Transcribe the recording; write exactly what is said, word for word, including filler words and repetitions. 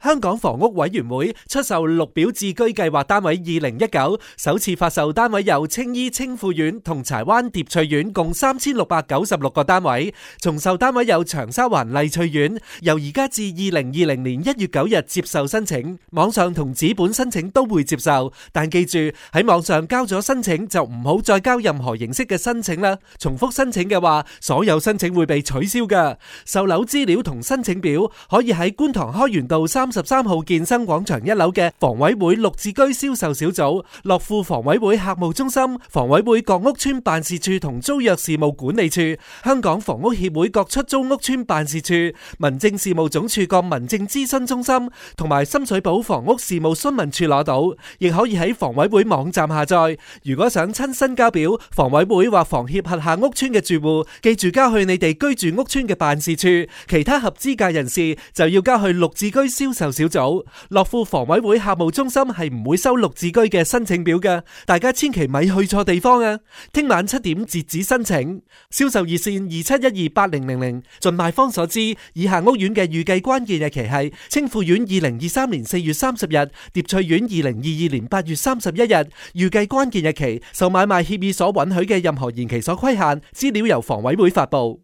香港房屋委員會出售綠表置居計劃單位二零一九，首次發售單位有青衣青富苑同柴灣蝶翠苑，共三千六百九十六個單位。重售單位有長沙灣麗翠苑，由而家至二零二零年一月九日接受申請，網上同紙本申請都會接受，但記住喺網上交咗申請就唔好再交任何形式嘅申請啦。重複申請嘅話，所有申請會被取消㗎。售樓資料同申請表可以喺觀塘開源道三十三號健身廣場一樓嘅房委會綠置居銷售小組、樂富房委會客務中心、房委會各屋邨辦事處同租約事務管理處、香港房屋協會各出租屋邨辦事處、民政事務總署各民政諮詢中心同埋深水埗房屋事務詢問處攞到，亦可以喺房委會網站下載。如果想親身交表，房委會或房協轄下屋邨嘅住戶，記住交去你哋居住屋邨嘅辦事處，其他合資格人士就要交去綠置居銷售小組。樂富房委會客務中心係唔會收綠置居嘅申請表嘅，大家千祈咪去錯地方啊！聽晚七點截止申請，銷售熱線二七一二八零零零。盡賣方所知，以下屋苑嘅預計關鍵日期係青富苑二零二三年四月三十日，蝶翠苑二零二二年八月三十一日。預計關鍵日期受買賣協議所允許嘅任何延期所規限，資料由房委會發布。